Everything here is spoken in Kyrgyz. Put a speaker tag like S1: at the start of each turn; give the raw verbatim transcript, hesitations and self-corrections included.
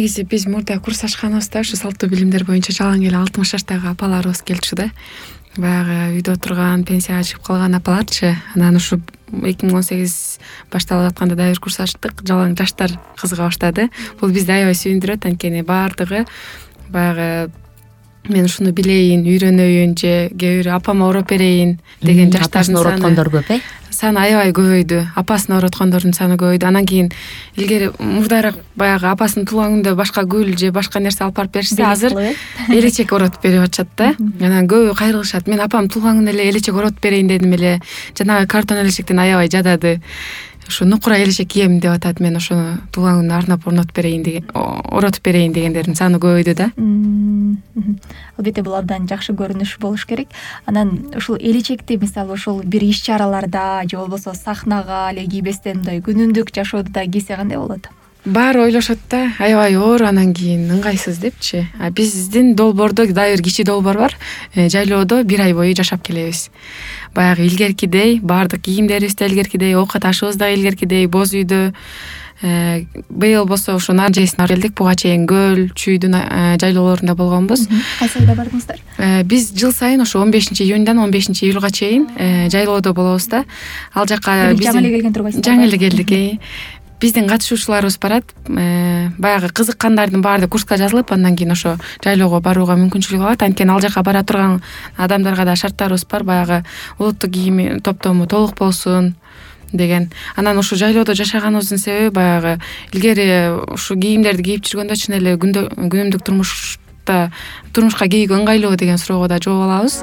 S1: негизи биз мурда курс ачканыбызда ушу салттуу билимдер боюнча жалаң эле алтымыш жаштагы апаларыбыз келчү да. Баягы үйдө отурган, пенсияга чыгып калган апаларчы. Анан ушу эки миң он сегиз башталып атканда дагы бир курс ачтык. Жалаң жаштар кызыга баштады. Бул бизди аябай сүйүндүрөт, анткени баардыгы баягы мен ушуну билейин, үйрөнөйүн же кээ бирөө апама ороп берейин деген жаштардын саны
S2: ороткондор көп э?
S1: Саны аябай көбөйдү. Апасын ороткондордун саны көбөйдү. Анан кийин илгери мурдараак баягы апасынын туулган күнүндө башка гүл же башка нерсе алып барып беришсе, азыр элечек оротуп берип атышат да. Анан көбү кайрылышат. Мен апам туулган күнүндө эле элечек оротуп берейин дедим эле. Жанагы картон элечектен аябай жадады. Ушу нукура элечек кийем деп атат. Мен ошону туулган күнүнө арнап орнотуп берейин деген, оротуп берейин дегендердин саны көбөйдү да.
S3: Албетте бул абдан жакшы көрүнүш болуш керек. Анан ушул элечекти мисалы ушул бир иш чараларда же болбосо сахнага эле кийбестен мындай күнүмдүк жашоодо да кийсе кандай болот?
S1: Баары ойлошот да, аябай оор, анан кийин ыңгайсыз депчи. А биздин долбоордо дагы бир кичи долбоор бар. Жайлоодо бир ай бою жашап келебиз. Баягы илгеркидей, баардык кийимдерибиз да илгеркидей, оокат ашыбыз да илгеркидей, боз үйдө. Быйыл болсо ушу Наржесине келдик. Буга чейин Көл, Чүйдүн жайлоолорунда болгонбуз.
S3: Кайсы айда бардыңыздар?
S1: Биз жыл сайын ошо он бешинчи июньдан он бешинчи июлга чейин жайлоодо болобуз да. Ал жака
S3: биз жаңы эле келген турбайсыздар?
S1: Жаңы эле келдик. Биздин катышуучуларыбыз барат. Баягы кызыккандардын баары курска жазылып, андан кийин ошо жайлоого барууга мүмкүнчүлүк алат. Анткени ал жака бара турган адамдарга да шарттарыбыз бар. Баягы улуттук кийим топтому толук болсун деген. Анан ушу жайлоодо жашаганыбыздын себеби баягы илгери ушу кийимдерди кийип жүргөндө чын эле күнүмдүк турмушта турмушка кийүүгө ыңгайлуу деген суроого да жооп алабыз.